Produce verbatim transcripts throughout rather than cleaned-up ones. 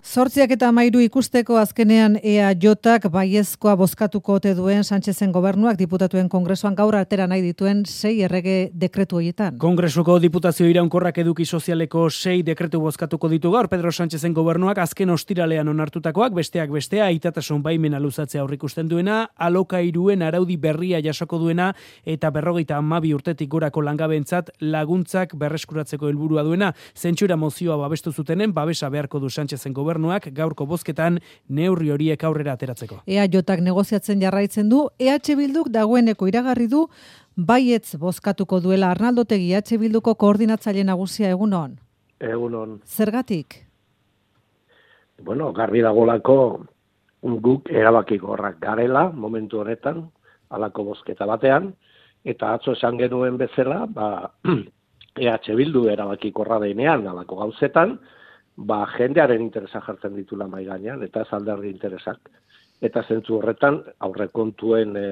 Zortziak eta amairu ikusteko azkenean E A Jk baiezkoa bozkatuko ote duen Sánchezen gobernuak diputatuen kongresuan gaur atera nahi dituen sei errege dekretu horietan. Kongresuko diputazio iraunkorrak eduki sozialeko sei dekretu bozkatuko ditu gaur Pedro Sánchezen gobernuak azken ostiralean onartutakoak, besteak bestea aitatasun baimena luzatzea aurreikusten duena, alokairuen araudi berria jasoko duena eta berrogeita hamabi urtetik gorako langabentzat laguntzak berreskuratzeko helburua duena. Zentsura mozioa babestu zutenen babesa beharko du Sánchezen gobernuak gaurko bozketan neurri horiek aurrera ateratzeko. E A Jk negoziatzen jarraitzen du, E H Bilduk dagoeneko iragarri du baietz bozkatuko duela. Arnaldo Otegi, E H Bilduko koordinatzaile nagusia, egunon. Egunon. Zergatik? Bueno, garbi dagolako guk erabakikorrak garela momentu honetan, halako bozketa batean, eta atzo esan genuen bezala, ba, E H Bildu erabakikorra denean halako gauzetan, ba, jendearen interesa jartzen ditula mahai gainean, eta ez alderdi interesak. Eta zentzu horretan, aurrekontuen e,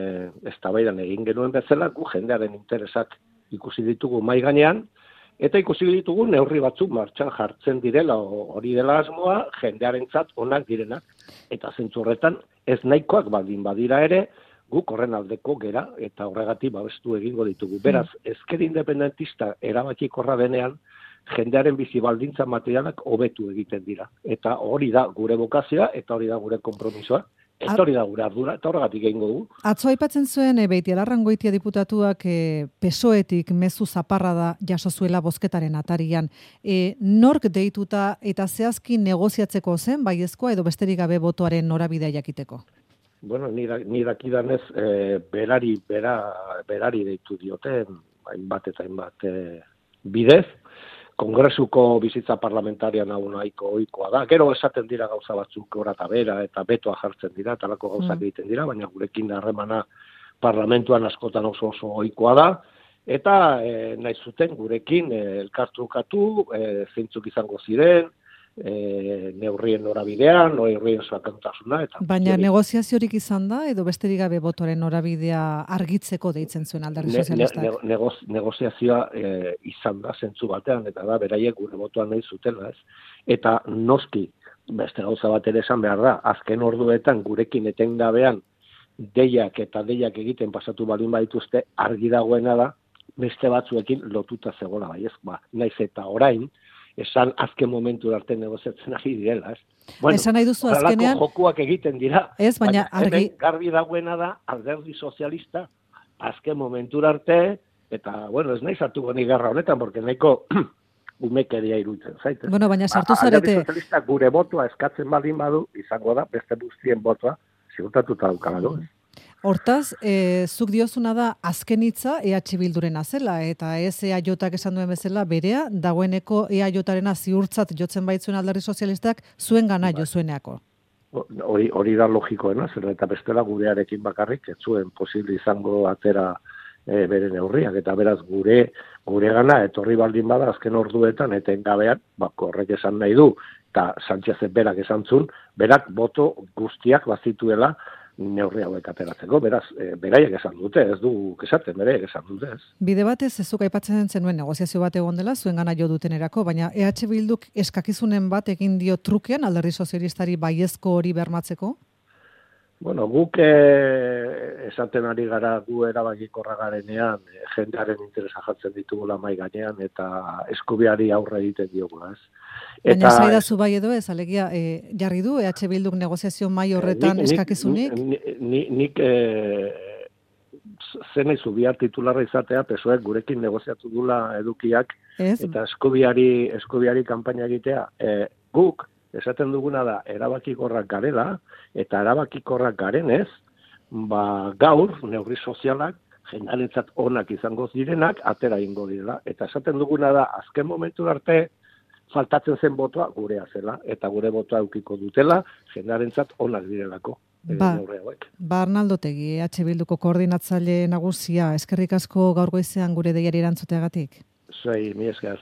eztabaidan egin genuen bezala, gu jendearen interesak ikusi ditugu mahai gainean, eta ikusi ditugu neurri batzuk martxan jartzen direla, hori dela asmoa, jendearentzat onak direnak. Eta zentzu horretan, ez nahikoak baldin badira ere, guk horren aldeko gera, eta horregatik babestu egingo ditugu. Beraz, ezker independentista erabakikorra denean, jendearen bizi baldintza materialak hobetu egiten dira. Eta hori da gure bokazioa, eta hori da gure konpromisoa, eta hori da gure ardura, eta horregatik egingo du. Atzo aipatzen zuen, e, Beitialarrangoitia diputatuak e, pesoetik mezu zaparra da jaso zuela bozketaren atarian. E, nork deituta eta zehazki negoziatzeko zen, baiezkoa edo besterik gabe botoaren norabidea jakiteko? Bueno, ni dakidanez, e, berari, bera, berari deitu dioten, hainbat eta hainbat e, bidez, Kongresuko bizitza parlamentarian hau nahiko ohikoa da. Gero esaten dira gauza batzuk gora eta bera eta betoa jartzen dira, talako gauzak egiten dira, baina gurekin harremana parlamentuan askotan oso oso ohikoa da. Eta e, nahi zuten gurekin e, elkartrukatu, e, zeintzuk izango ziren, e, neurrien norabidean, neurrien sakontasuna. Eta baina hori, negoziaziorik izan da, edo besterik gabe botoren norabidea argitzeko deitzen zuen alderdi ne, sozialistak? Ne, ne, negoz, negoziazioa e, izan da zentzu batean, eta da, beraiek gure botoan nahi zutela, ez? Eta noski, beste gauza bat ere esan behar da, azken orduetan gurekin etengabean deiak eta deiak egiten pasatu balin badituzte, argi dagoena da, beste batzuekin lotuta zegoela, bai ez? Ba, naiz eta orain, esan azken momentu arte negoziatzen ari direla, ez? Bueno, esan nahi duzu azkenean jokuak egiten dira. Ez, baina, baina argi garbi dagoena da alderdi sozialista azken momentu arte, eta bueno, ez nahi sartuko ni garra honetan, porque nahiko umekeria iruditzen zaite. Bueno, baina sartu zarete. Alderdi sozialista gure botoa eskatzen baldin badu, izango da beste guztien botoa ziurtatuta daukala. Hortaz, e, zuk diozuna da azken hitza E H Bildurena zela, eta ez E A Jk esan duen bezala berea, dagoeneko E A Jrena ziurtzat jotzen baitzuen alderdi sozialistak zuen gana jo zueneako. Hori, hori da logikoena, zer eta bestela gurearekin bakarrik, ez zuen posible izango atera e, bere neurriak, eta beraz gure gure gana etorri baldin bada azken orduetan, etengabean, bako horrek esan nahi du, eta Sánchez berak esan zuen, berak boto guztiak bazituela neurri hauek ateratzeko, beraz, e, beraiek esan dute, ez du esaten, beraiek esan dute, ez. Bide batez, ez zuk aipatzen zenuen negoziazio bat egon dela, zuen gana jo dutenerako, baina E H Bilduk eskakizunen bat egin dio trukean alderdi sozialistari baiezko hori bermatzeko? Bueno, guk e, esaten ari gara gu erabakikorra garenean, e, jendearen interesa jartzen ditugula mai gainean, eta eskubiari aurre egiten diogula, ez. Baina zaidazu bai edo ez, alegia, e, jarri du E H Bilduk negoziazio mai horretan eskakizunik? Nik, nik, nik e, zen izu bihar titularra izatea, pesoek gurekin negoziatu dula edukiak, ez? Eta eskubiari, eskubiari kanpaina egitea. E, guk, esaten duguna da, erabakikorrak garela, eta erabakikorrak garenez, ba, gaur, neurri sozialak, jendarentzat onak izango direnak, atera ingo direla. Eta esaten duguna da, azken momentu arte, faltatzen zen botoa gurea zela, eta gure botoa eukiko dutela, jendarentzat onak direlako. Ba, ba Arnaldo Otegi, E H Bilduko koordinatzaile nagusia, eskerrik asko gaur goizean gure deiari erantzuteagatik. Zuei, mi esker.